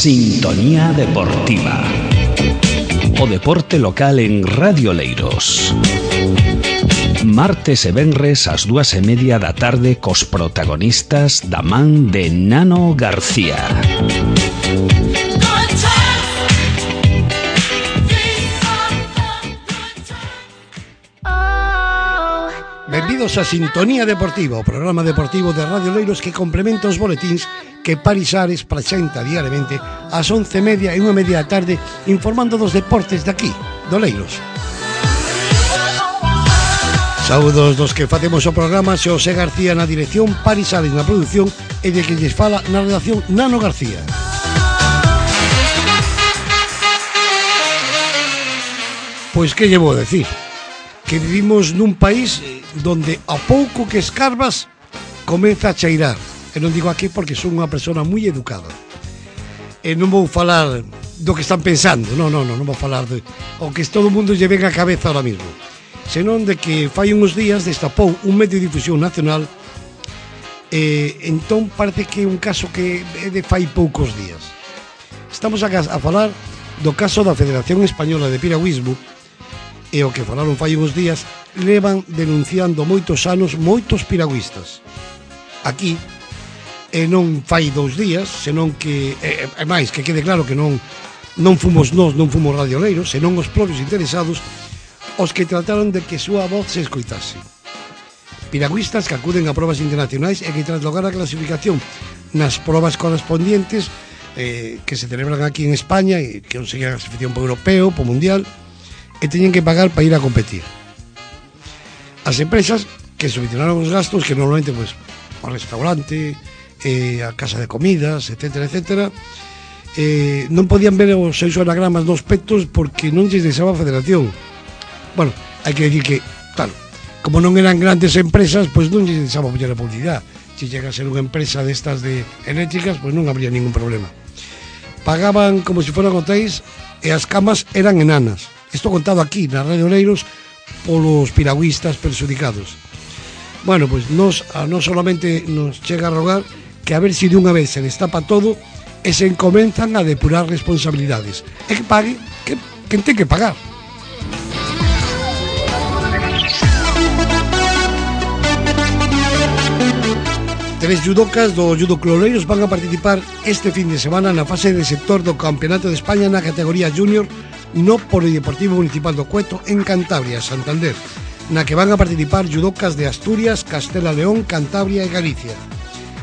Sintonía Deportiva. O deporte local en Radio Oleiros. Martes e venres ás 2:30 da tarde cos protagonistas da man de Nano García. Benvidos a Sintonía Deportiva, o programa deportivo de Radio Oleiros que complementa os boletíns que Paris Ares presenta diariamente ás 11:30 e 1:30 da tarde, informando dos deportes de aquí, de Oleiros. Saúdos dos que facemos o programa, Xosé García na dirección, Paris Ares na produción e de que lles fala na redacción Nano García. Pois que lle vou decir? Que vivimos nun país donde a pouco que escarbas comeza a cheirar. E non digo aquí porque son unha persona moi educada. E non vou falar do que están pensando, non vou falar de o que todo o mundo lle ven a cabeza ahora mismo, senón de que fai uns días destapou un medio de difusión nacional entón parece que é un caso que é de fai poucos días. Estamos a falar do caso da Federación Española de Piragüismo. E o que falaron fai uns días, levan denunciando moitos anos moitos piragüistas. Aquí, e non fai 2 días, senón que, é máis, que quede claro que non fomos nós, non fomos Radio Oleiros, senón os propios interesados, os que trataron de que súa voz se escoitase. Piragüistas que acuden a probas internacionais e que tras lograr a clasificación nas probas correspondientes que se celebran aquí en España e que conseguen a clasificación por europeo, por mundial, e teñen que pagar para ir a competir. As empresas que subvencionaron os gastos, que normalmente pues, o restaurante, a casa de comidas, etcétera, non podían ver os seus anagramas dos petos porque non lles deixaba a federación. Bueno, hai que decir que, claro, como non eran grandes empresas, pues non lles deixaba poñer a publicidade. Se llega a ser unha empresa destas de eléctricas, pues non habría ningún problema. Pagaban como se fueran hotéis e as camas eran enanas. Isto contado aquí na Radio Oleiros polos piragüistas perxudicados. Bueno, pois nos solamente nos chega a rogar que a ver se de unha vez se destapa todo e se comenzan a depurar responsabilidades. E que pague quen ten que pagar. Tres judocas do Judo Club Oleiros van a participar este fin de semana na fase de sector do Campeonato de España na categoría Júnior no Polideportivo Municipal do Cueto en Cantabria, Santander, na que van a participar judocas de Asturias, Castela León, Cantabria e Galicia.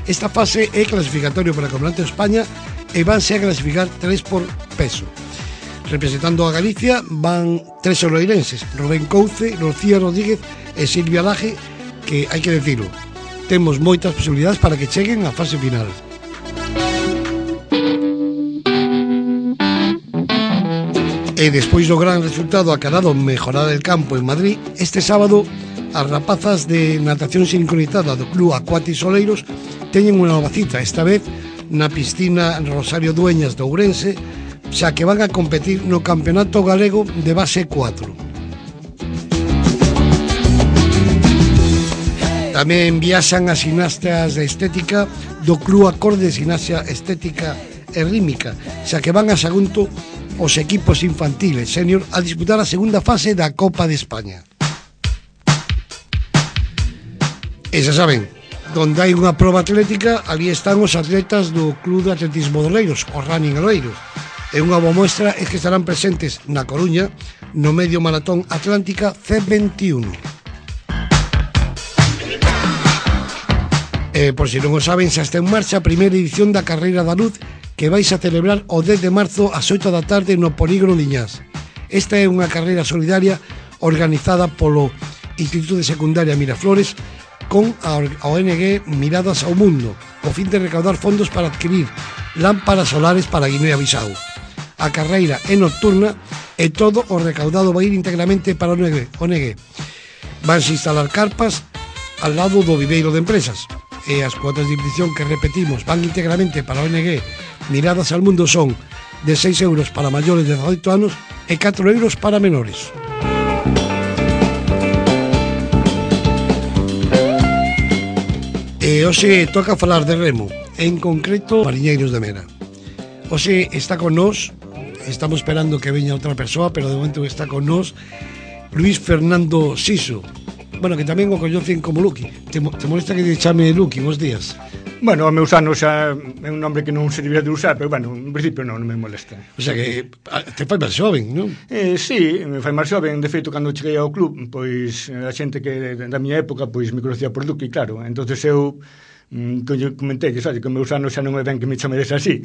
Esta fase é clasificatorio para o Campeonato de España e vanse a clasificar 3 por peso. Representando a Galicia van 3 oleirenses, Rubén Couce, Rocía Rodríguez e Silvia Laje, que hai que decirlo, temos moitas posibilidades para que cheguen á fase final. E despois do gran resultado acadado en Mejorar el Campo en Madrid, este sábado as rapazas de natación sincronizada do Club Acuatis Oleiros teñen unha nova cita, esta vez na piscina Rosario Dueñas de Ourense, xa que van a competir no Campeonato Galego de Base 4. Tamén viaxan as gimnastas de estética do Club Acorde de Gimnasia Estética e Rítmica, xa que van a Sagunto os equipos infantiles senior a disputar a segunda fase da Copa de España. E xa saben, donde hai unha proba atlética, ali están os atletas do Club de Atletismo de Oleiros, o Running Oleiros. E unha boa muestra é que estarán presentes na Coruña no Medio Maratón Atlántica C21. Por si non o saben, xa está en marcha a primeira edición da Carreira da Luz, que vais a celebrar o 10 de marzo ás 8 da tarde no Polígono Liñás. Esta é unha carreira solidaria organizada polo Instituto de Secundaria Miraflores con a ONG Miradas ao Mundo, co fin de recaudar fondos para adquirir lámparas solares para Guinea-Bissau. A carreira é nocturna e todo o recaudado vai ir íntegramente para a ONG. Vanse instalar carpas al lado do viveiro de empresas. E as cuotas de inscripción que repetimos van íntegramente para a ONG Miradas al Mundo son de 6 euros para maiores de 18 anos e 4 euros para menores. E hoxe toca falar de remo, en concreto mariñeiros de Mera. Hoxe está con nós, estamos esperando que veña outra persoa, pero de momento está con nós Luis Fernando Siso. Bueno, que tamén o coñecen como Luqui. Te molesta que te chame Luqui? Bos días. Bueno, o meu ano xa é un nombre que non se debía de usar, pero bueno, en principio non me molesta. O sea que te fai máis xoven, non? Sí, me fai máis xoven. De feito, cando cheguei ao club, pois a xente que da miña época pois me conocía por Luqui, claro. Entonces eu comentei, sabe, que o meu ano xa non é ben que me chamedes así.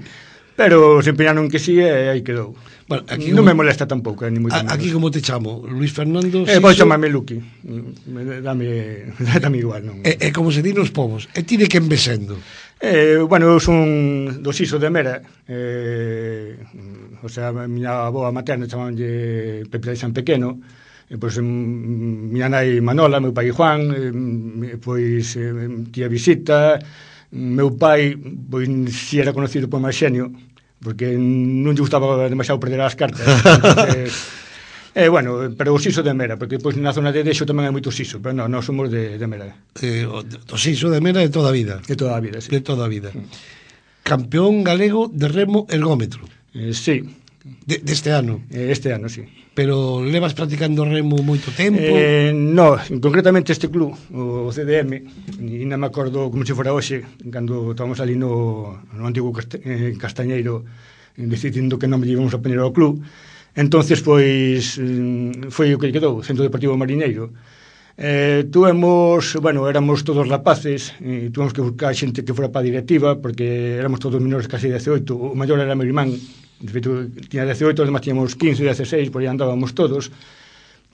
Pero se empeñaron que sí e aí quedou. Bueno, aquí non me molesta tampouco, ni moito menos. Aquí como te chamo? Luis Fernando Siso? Vou chamarme Luqui. Dame igual, non? É como se di nos povos. E ti de quen ve sendo? Bueno, eu son do Siso de Mera. O sea, a miña aboa materna chamabanlle Pepe de San Pequeno. Pois miña nai Manola, meu pai Juan, pois tía Visita. Meu pai, pois, si era conocido por máis xenio, porque non lle gustaba demasiado perder as cartas. Entonces, bueno, pero o Siso de Mera, porque pois na zona de Dexo tamén hai moito Siso, pero non somos de Mera. O Siso de Mera de toda a vida. De toda a vida, sí. De toda a vida. Campeón galego de remo ergómetro. Sí. Deste ano. Este ano, sí. Pero levas practicando remo moito tempo? No, concretamente este club, o CDM, e non me acordo como se fora hoxe, cando estábamos ali no antigo Castañeiro decidindo que non me íbamos a poñer ao club. Entonces, pois, foi o que quedou, Centro Deportivo Mariñeiro. Éramos todos rapaces, e tuvemos que buscar xente que fora para a directiva, porque éramos todos menores casi 18, o maior era meu irmán, de feito, tiña 18, además tiñamos 15, 16, por aí andábamos todos.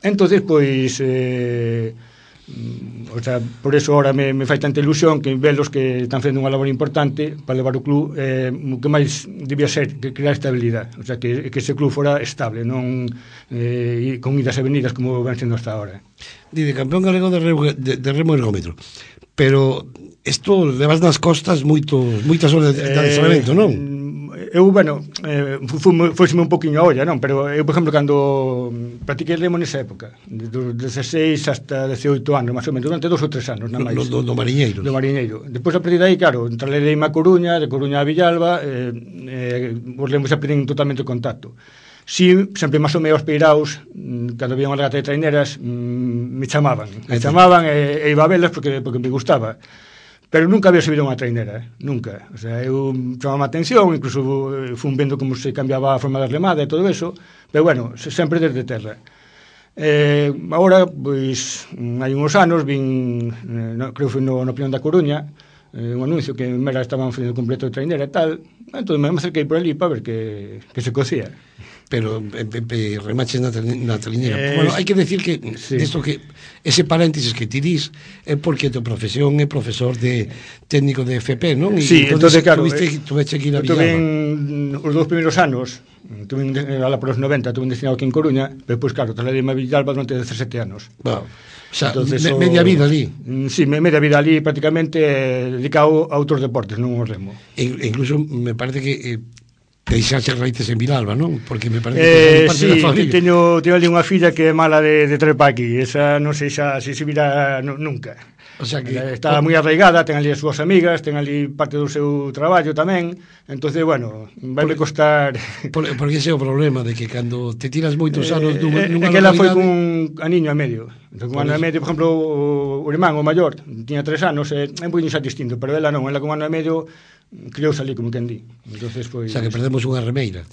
Entonces, pois, por eso ahora me fai tanta ilusión que velos que están facendo unha labor importante para levar o club, o que máis debía ser que crear estabilidade, o sea, que ese club fora estable, non con idas e venidas como ven sendo hasta ahora. Dice, campeón galego de remo ergómetro, pero isto levas nas costas moitas horas de adestramento, non? Eu, foiseme un poquinho a olla, non? Pero eu, por exemplo, cando practiquei remo nesa época, dos 16 hasta 18 anos, máis ou menos, durante 2 ou 3 anos, non máis. Do Mariñeiro. Do Mariñeiro. Depois, a partir de aí, claro, trasladeime a Coruña, de Coruña a Villalba, os remos xa perdín totalmente o contacto. Si, sempre máis ou menos peiraos, cando había unha regata de traineras, me chamaban e iba a velas porque me gustaba. Pero nunca había subido unha trainera, nunca. O sea, eu chamaba a atención, incluso fun vendo como se cambiaba a forma da remada e todo eso, pero bueno, sempre desde terra. Agora, pois, hai uns anos, creo que foi no Pinon da Coruña, un anuncio que en Mera estaban facendo completo de trainera e tal, entón me acerquei por ali para ver que se cocía. Pero remaches na traiñera. Bueno, hai que decir que sí. Desto que ese paréntesis que ti dis é porque a tua profesión é profesor de técnico de FP, non? Sí, entonces claro, tuveche que ir a Villalba. Tuve os 2 primeiros anos, ala por os 90, tuve destinado aquí en Coruña, pero depois, claro, trasladeime a Villalba durante 17 anos. Wow. O sea, media vida ali. Sí, media vida ali prácticamente dedicado a outros deportes, non ao remo. Incluso me parece que deixaxe raíces en Villalba, non? Porque me parece que parte da familia. Teño ali unha filla que é mala de trepa aquí. Esa non sei xa se virá nunca. O sea que está moi arraigada, ten ali as súas amigas, ten ali parte do seu traballo tamén. Entonces, bueno, vai me costar. Porque ese é o problema de que cando te tiras moitos anos nunha localidade. Que ela foi cun aniño e medio. Entón, cun ano e medio, por exemplo, o irmán, o maior, tiña 3 anos, é un poquinho xa distinto, pero ela non, ela con ano e medio criouse ali, como quen di. Entonces, pois, o sea, que perdemos unha remeira.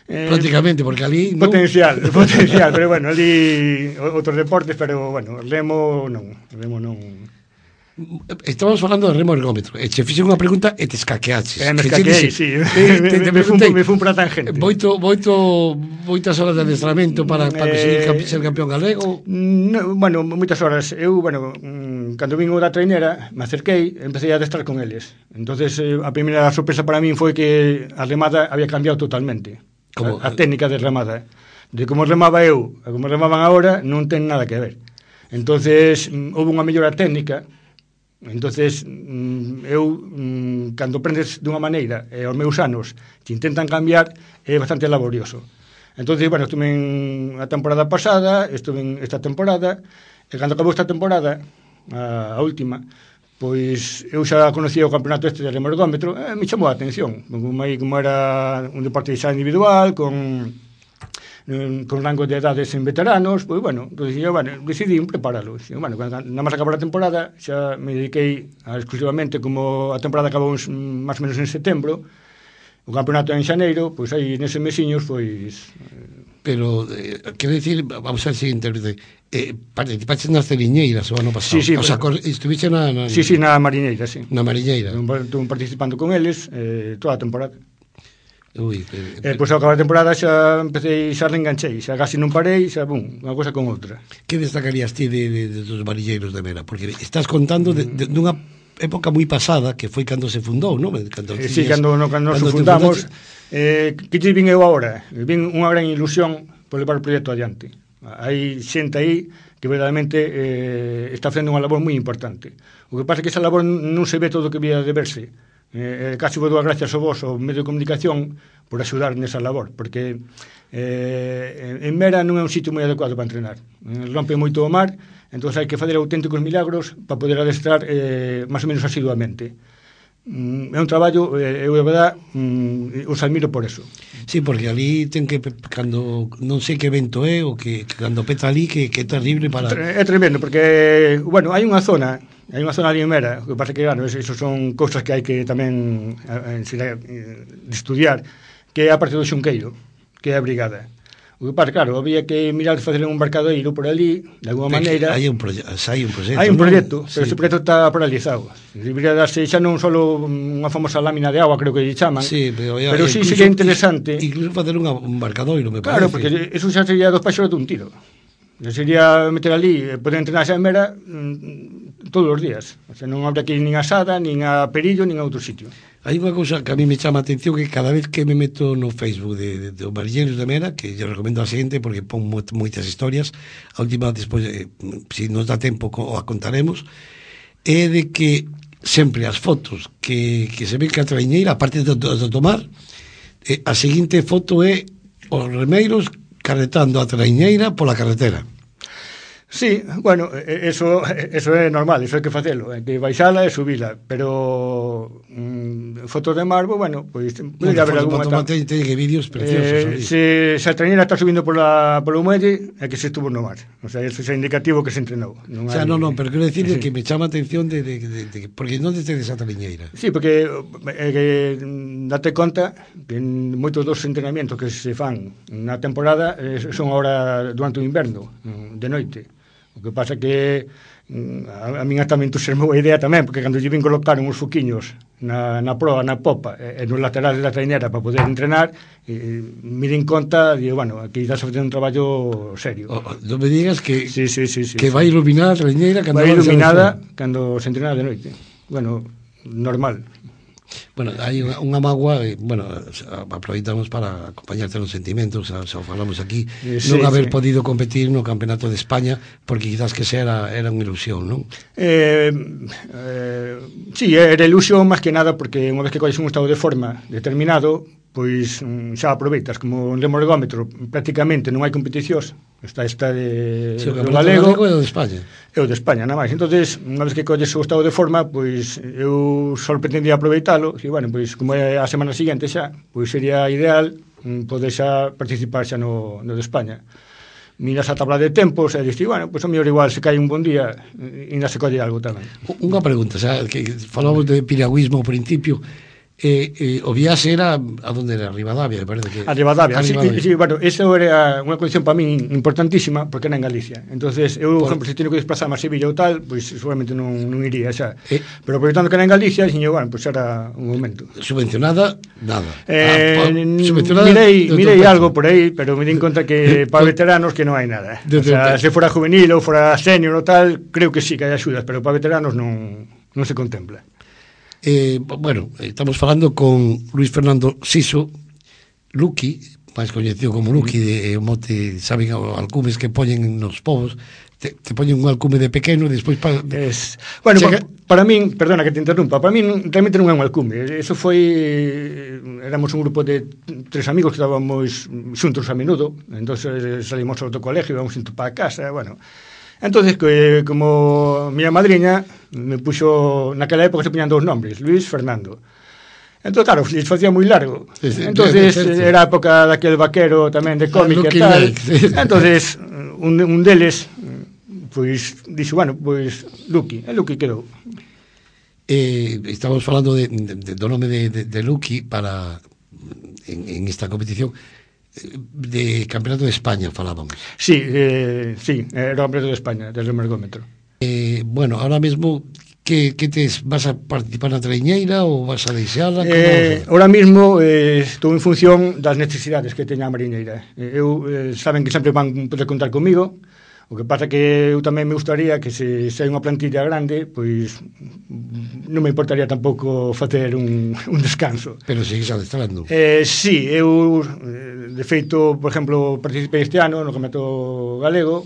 Prácticamente, porque ali potencial, pero bueno, ali outros deportes, pero bueno, remo non. Estábamos falando de remo ergómetro e che fixe unha pregunta e te escaqueaches. Me escaqueei, sí. Me fun para tangente. Moitas horas de adestramento para conseguir ser campeón galego? Bueno, moitas horas. Eu, cando vin da trainera, me acerquei, empecé a adestrar con eles. Entonces, a primeira sorpresa para min foi que a remada había cambiado totalmente. A técnica de remada. De como remaba eu a como remaban agora, non ten nada que ver. Entonces, houve unha mellora técnica. Entonces, eu, cando aprendes dunha maneira e aos meus anos te intentan cambiar, é bastante laborioso. Entonces, bueno, estuve a temporada pasada, estuve esta temporada, e cando acabou esta temporada, a última, pois eu xa conocía o campeonato este de remorgómetro, me chamou a atención, como era un deporte xa individual, con rango de edades en veteranos, pois, bueno, decidí preparalo. Bueno, nada máis acabar a temporada, xa me dediquei exclusivamente, como a temporada acabou máis ou menos en setembro, o campeonato en xaneiro, pois aí neses mesiños, pois... Pero, quero dicir, vamos a ver se interprete, participaste nas celiñeiras o ano pasado. Sí, o sea, estuviste na... Sí, na mariñeira, sí. Na mariñeira. Estuve participando con eles toda a temporada. Ui, pois ao acabar a temporada xa empecé, xa reenganchei, xa casi non parei, xa unha cosa con outra. Que destacarías ti dos mariñeiros de Mera? Porque estás contando dunha época moi pasada, que foi cando se fundou, non? Sí, cando nos fundamos, que te vin eu agora? Vin unha gran ilusión por levar o proxecto adiante. Hai xente aí que verdadeiramente está facendo unha labor moi importante. O que pasa é que esa labor non se ve todo o que vía de verse. Casi vou dar gracias a vos, ao medio de comunicación, por axudar nesa labor, porque en Mera non é un sitio moi adecuado para entrenar. Rompe moito o mar, entón hai que fazer auténticos milagros para poder adestrar máis ou menos asiduamente. É un traballo, eu de verdade os admiro por eso. Sí, porque ali ten que, cando non sei que evento é, o que cando peta ali, que é terrible para... É tremendo, porque, bueno, hai unha zona ali en Mera, o que pasa que, claro, eso son cousas que hai que tamén estudiar, que é a parte do Xunqueiro, que é a brigada. O que pasa, claro, había que mirar de facer un embarcadoiro por ali, de alguma maneira. Hai un proxecto. Hai un proxecto, pero ese proxecto está paralizado. Debería darse xa non só unha famosa lámina de agua, creo que lle chaman, pero sí sería interesante. Incluso facer un embarcadoiro, me parece. Claro, porque eso xa sería dos paxos de un tiro. Sería meter ali, poder entrenar xa en Mera todos os días. O sea, non habrá que ir nin a Sada, nin a Perillo, nin a outro sitio. Hai unha cousa que a mí me chama a atención, que cada vez que me meto no Facebook de os mariñeiros de Mera, que yo recomendo a xente porque pon moitas historias, a última despois, se nos dá tempo a contaremos, é de que sempre as fotos que se ven que a traiñeira, aparte de tomar, a seguinte foto é os remeiros carretando a traiñeira pola carretera. Sí, bueno, eso é normal, eso hai que facelo, hai que baixala e subila, pero fotos de mar, bueno, pois podría haber algunha ten que vídeos preciosos. Se a trainera está subindo polo muelle, é que se estuvo no mar, o sea, eso é indicativo que se entrenou. O sea, non, pero quero decir que me chama a atención porque non tedes a traiñeira. Sí, porque date conta que moitos dos entrenamientos que se fan na temporada son agora durante o inverno, de noite. O que pasa que a min hasta me entusiasmou a idea tamén, porque cando lle vin colocar uns foquiños na proa, na popa e nos laterales da trainera para poder entrenar, me din conta, digo, bueno, aquí estás facendo un traballo serio. Non me digas que sí, que vai iluminada a trainera cando vai iluminada cando se entrena de noite. Bueno, normal. Bueno, hai unha mágoa, bueno, aproveitamos para acompañarte nos sentimentos, xa falamos aquí, non haber podido competir no Campeonato de España, porque quizás que era unha ilusión, non? Sí, era ilusión máis que nada, porque unha vez que colles un estado de forma determinado, pois xa aproveitas, como en remorgómetro prácticamente non hai competicións, está de do galego e o de España. E o de España, nada máis. Entonces, unha vez que colles o estado de forma, pois eu só pretendía aproveitalo, e bueno, pois como é a semana seguinte xa, pois sería ideal poder xa participar xa no de España. Miras a tabla de tempos e dixi, bueno, pois o mellor igual se cae un bon día e ainda se colle algo tamén. Unha pregunta, xa, que falamos de piragüismo ao principio, o viaxe era a donde era Rivadavia, me parece que a Rivadavia, sí, bueno, eso era unha condición para mí importantísima porque era en Galicia. Entonces eu, por exemplo, se teño que desplazarme a Sevilla ou tal, pois seguramente non iría xa. Pero aproveitando que era en Galicia, dixen, bueno, pois era un momento. Subvencionada, nada. Mirei algo por aí, pero me di en conta que para veteranos que non hai nada. O sea, se fora juvenil ou fora senior ou tal, creo que sí que hai axudas, pero para veteranos non se contempla. Bueno, estamos falando con Luis Fernando Siso, Luqui, máis coñecido como Luqui, de mote, saben, alcumes que poñen nos povos, te poñen un alcume de pequeno e despois bueno, para min, perdona que te interrumpa, para min realmente non é un alcume, eso foi, éramos un grupo de 3 amigos que estábamos xuntos a menudo, entonces salimos ao colegio, íbamos para a casa, bueno, Entonces, como miña madriña me puxo, naquela época se poñan 2 nombres, Luis, Fernando. Entón, claro, se facía moi largo. Entonces, era a época daquel vaquero tamén de cómic e tal. Entonces, un deles, pois, dixo, bueno, pois, Lucky, e Lucky quedou. Estamos falando do nome de Lucky para en esta competición de Campeonato de España falábamos. Sí, era o Campeonato de España del ergómetro. Bueno, ahora mesmo que vas a participar na traiñeira ou vas a deixala? Ahora mesmo estou en función das necesidades que teña a mariñeira. Saben que sempre van poder contar comigo. O que pasa que eu tamén me gustaría que se hai unha plantilla grande, pois non me importaría tampouco facer un descanso. Pero sigues adestrando. Sí, eu de feito, por exemplo, participei este ano no Campeonato Galego,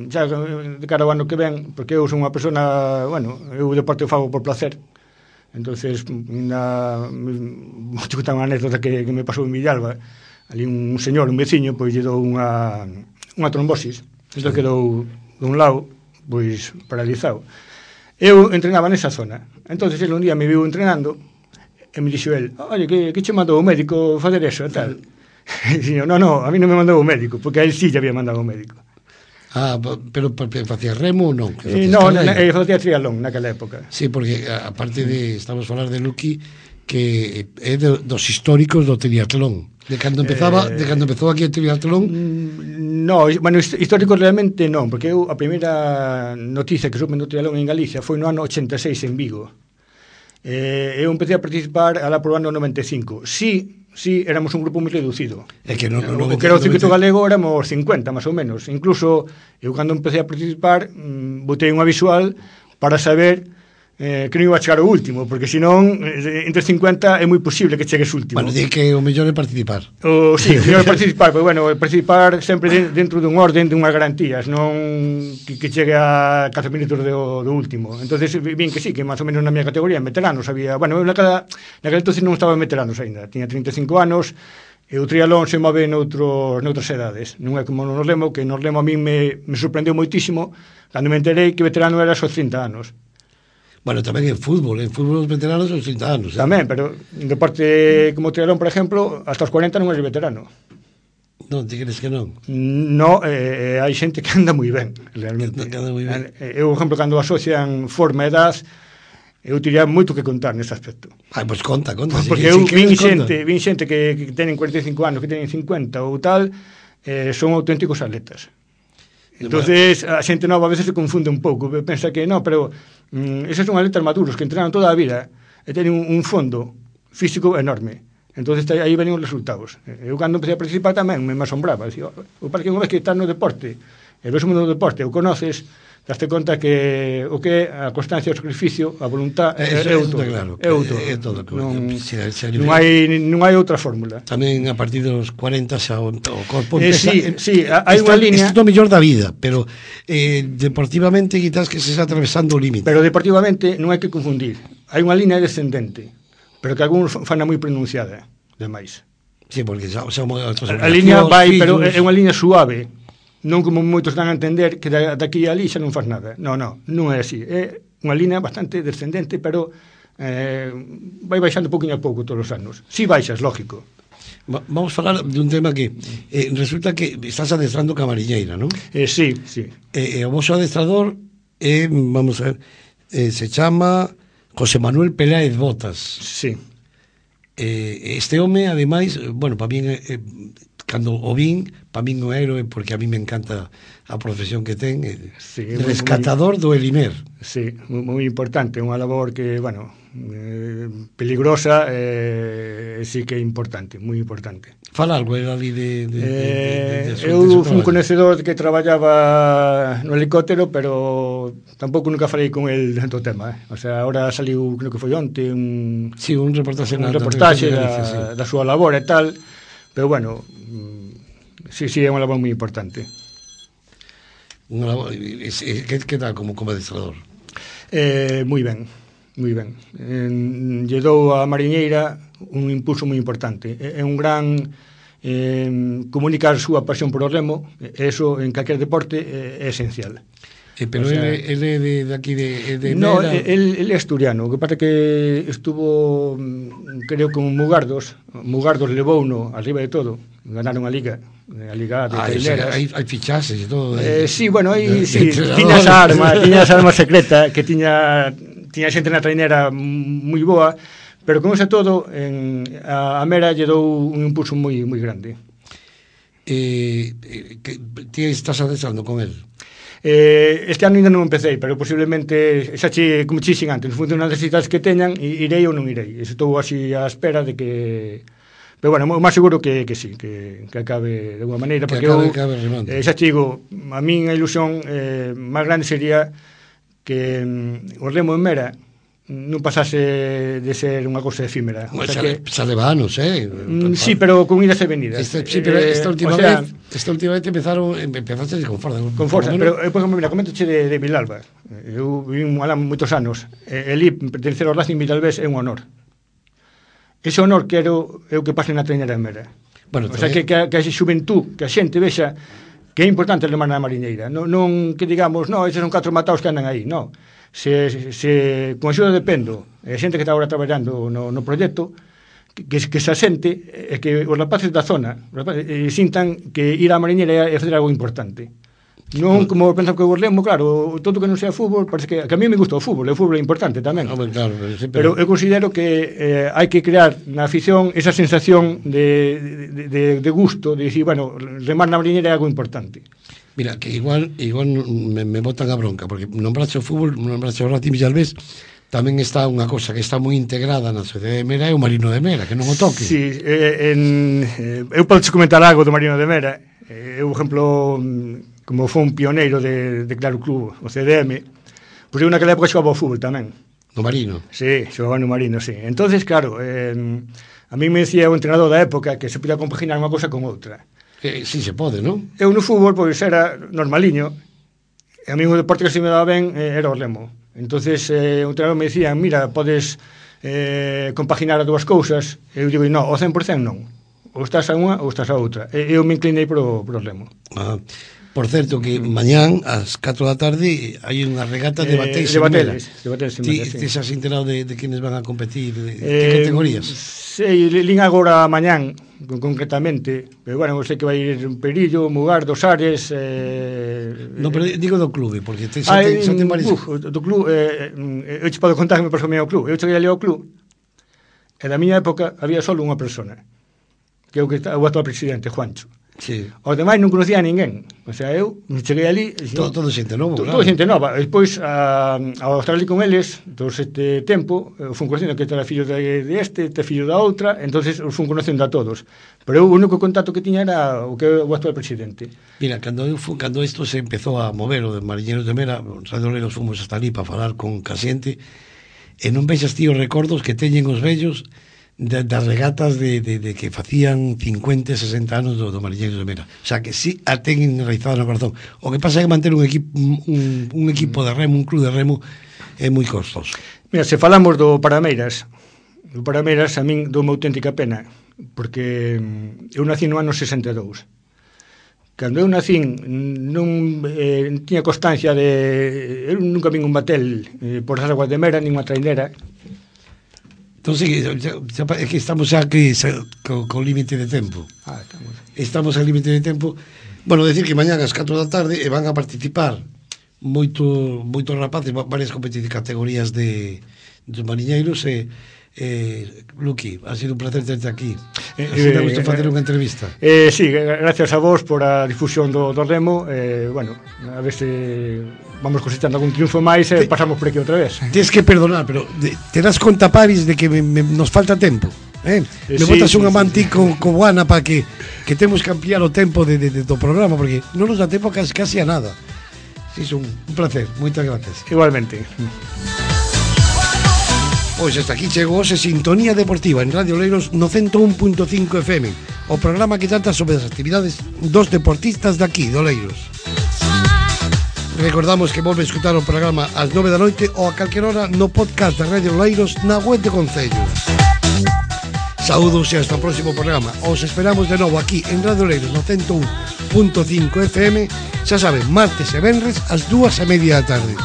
xa de cara ao ano que ven, porque eu son unha persona, bueno, eu o deporte o fago por placer. Entonces, vou te contar unha anécdota que me pasou en Villalba. Ali un señor, un veciño, pois lle dou unha trombosis. Isto quedou dun lado, pois, paralizado. Eu entrenaba nesa zona. Entonces, ele un día me viu entrenando e me dixo el, oye, que che mandou o médico facer eso e tal? E dixo, no, a mí non me mandou o médico, porque a él sí ya había mandado o médico. Pero facía remo ou non? Non, facía triatlón naquela época. Sí, porque aparte de, estamos a falar de Lucky, que é dos históricos do triatlón. De cando empezou aquí o triatlón? No, bueno, histórico realmente non, porque eu a primeira noticia que supe no triatlón en Galicia foi no ano 86 en Vigo. Eu empecé a participar alá por o ano 95. Sí, éramos un grupo moi reducido. É que o que era o circuito galego éramos 50, máis ou menos. Incluso, eu cando empecé a participar, botei unha visual para saber que non iba a chegar o último, porque senón entre 50 é moi posible que chegues último. Bueno, di que o mellor é participar. Sí, o mellor é participar, pero bueno, participar sempre dentro dun orden, dunhas garantías, non que chegue a 4 minutos do último. Entonces, vin que sí, que máis ou menos na miña categoría, en veteranos, había, bueno, naquela entonces non estaba en veteranos aínda, tiña 35 anos, e o triatlón se move noutras edades. Non é como no remo, que no remo a mí me sorprendeu moitísimo cando me enterei que veterano era aos 30 anos. Bueno, tamén en fútbol os veteranos son 30 anos. Tamén, pero en deporte como o triatlón, por exemplo, hasta os 40 non é veterano. Non, ti crees que non? No, hai xente que anda moi ben, realmente. Anda moi ben. Eu, por exemplo, cando asocian forma e edad, eu tiría moito que contar nese aspecto. Pois conta. Porque eu vin xente que tenen 45 anos, que tenen 50 ou tal, son auténticos atletas. Entonces a xente nova a veces se confunde un pouco, pensa que non, pero eses son atletas maduros que entrenan toda a vida e teñen un fondo físico enorme. Entonces aí venen os resultados. Eu cando empecé a participar tamén me asombraba, dicía, o parque unha vez que estás no deporte, e ves o mundo do deporte, o conoces, daste conta que o que é a constancia, o sacrificio, a voluntad é todo. É todo. Non hai outra fórmula. Tamén a partir dos 40 xa o corpo empeza... Sí, hai unha línea... Isto é o mellor da vida, pero deportivamente quizás que se está atravesando o límite. Pero deportivamente non hai que confundir. Hai unha línea descendente, pero que algúns fana moi pronunciada, demais. Sí, porque xa a línea vai, pero é unha línea suave. Non como moitos dan a entender que daqui a ali xa non faz nada. Non é así. É unha línea bastante descendente, pero vai baixando pouquinho a pouco todos os anos. Si baixas, lógico. Vamos falar dun tema que resulta que estás adestrando camariñeira, non? Sí. O vosso adestrador vamos a ver, se chama José Manuel Peláez Botas. Sí. Este home, ademais, bueno, para min cando o vin, para min o héroe, porque a mí me encanta a profesión que ten, sí, rescatador do Elimer. Sí, moi importante, unha labor que, bueno, peligrosa, sí que é importante, moi importante. Fala algo ali eu fui un conhecedor que traballaba no helicóptero, pero tampouco nunca falei con el do tema, O sea, ahora saliu, creo que foi onte, un reportaxe da súa labor e tal. Pero bueno, sí, é unha labor moi importante. Unha labor, que tal como adestrador? Moi ben. Lle dou a mariñeira un impulso moi importante. É un gran comunicar a súa pasión por o remo, eso en calquer deporte é esencial. Pero o sea, ele de aquí de no, Mera... él é asturiano, o que pasa que estuvo, creo que un Mugardos levouno arriba de todo, ganaron a Liga de traineras. Hai fichases e todo. Sí, bueno, aí sí, tiña esa arma secreta que tiña xente na trainera moi boa, pero con ese todo a Mera lle dou un impulso moi grande. Ti estás adesando con él? Este ano ainda non empecé, pero posiblemente xa como chixen antes, en función das necesidades que teñan, irei ou non irei. Estou así á espera de que... Pero bueno, o máis seguro que sí, que acabe de alguma maneira, porque xa digo, a min a ilusión máis grande sería que o remo en Mera non pasase de ser unha cousa efímera. O sea xa leva anos, sí, pero con idas e venidas. Sí, pero esta última vez empezaste con forza. Con forza, pero, por exemplo, mira, coméntoche de Vilalba. Eu vivi alá moitos anos. Elí, pertencer ao Racing Vilalbés é un honor. Ese honor quero eu que pase na trainera en Mera. Bueno, o sea, que a xuventud, que a xente vexa que é importante remar na mariñeira. Non que digamos, eses son 4 mataos que andan aí, non. Se con axuda de Pendo e a xente que está agora traballando no proxecto, que se asente e que os rapaces da zona sintan que ir á mariñeira é fazer algo importante. Non como pensan que o remo, claro, todo que non sea fútbol, parece que a mí me gusta o fútbol é importante tamén. Claro, pero eu considero que hai que crear na afición esa sensación de gusto, de dicir, bueno, remar na mariñeira é algo importante. Mira, que igual me botan a bronca, porque nombraste o fútbol, nombraste o Racing Vilalbés, tamén está unha cosa que está moi integrada na sociedade de Mera, é o Marino de Mera, que non o toque. Sí, eu podo comentar algo do Marino de Mera. Eu, por exemplo, como foi un pioneiro de Claro Club, o CDM, pois eu naquela época xogaba ao fútbol tamén. No Marino? Sí, xogaba no Marino, sí. Entonces, claro, a mí me decía o entrenador da época que se podía compaginar unha cosa con outra. Sí se pode, non? Eu no fútbol, pois, era normaliño, e a mí o deporte que se me daba ben era o remo. Entonces, o entrenador me dicía, mira, podes compaginar as dúas cousas, e eu digo, non, o 100% non. Ou estás a unha ou estás a outra. E eu me inclinei pro remo. Por certo, que mañán, ás 4 da tarde, hai unha regata de bateis en Mera. Ti has enterado de quenes van a competir, de que categorías? Sei, lín agora mañán, concretamente, pero bueno, sei que vai ir un Perillo, Mugardos, Ares... Non, pero digo do clube, porque xa ten varios... Do club, eu te podo contar que me pasou ao club. Eu cheguei ali ao club, e da miña época había só unha persona, que é o actual presidente, Juancho. Sí. Os demais non conocía a ninguén. O sea, eu cheguei ali... Todo xente nova, claro. Todo xente nova. E despois, ao estar ali con eles, todo este tempo, fun conocindo que era fillo de este fillo da outra, entonces fun conocendo a todos. Pero o único contacto que tiña era o que é o actual presidente. Mira, cando isto se empezou a mover, o de Mariñeiros de Mera, os radoleiros fomos hasta ali para falar con xente, e non vexas ti os recordos que teñen os vellos das regatas de que facían 50, 60 anos do Mariñeiros de Mera. O sea, que sí a ten enraizado no corazón. O que pasa é que manter un equipo de remo, un club de remo, é moi costoso. Mira, se falamos do Parameiras, a min doume auténtica pena, porque eu nací no ano 62. Cando eu nacín non tiña constancia de... Eu nunca vin un batel por as aguas de Mera, nin unha trainera. Entón, sí, é que estamos xa aquí co límite de tempo. Estamos ao límite de tempo. Bueno, decir que mañán ás 4 da tarde van a participar moitos rapaces, varias categorías dos mariñeiros, Luqui, ha sido un placer terte aquí. Así me gusta facer unha entrevista. Sí, gracias a vos por a difusión do remo. Bueno, a ver se vamos cosechando algún triunfo máis e pasamos por aquí outra vez. Tens que perdonar, pero te das conta, Paris, de que nos falta tempo. Me botas unha manti con Buana para que temos que ampliar o tempo do programa, porque non nos dá tempo casi a nada. Sí, un placer, moitas gracias. Igualmente. Pois hasta aquí chegou hoxe Sintonía Deportiva en Radio Oleiros no 101.5 FM, o programa que trata sobre as actividades dos deportistas daqui, de Oleiros. Recordamos que volve a escutar o programa ás 9 da noite ou a calquer hora no podcast da Radio Oleiros na web de Concello. Saúdos e hasta o próximo programa. Os esperamos de novo aquí en Radio Oleiros no 101.5 FM. Xa saben, martes e venres ás 2:30 da tarde.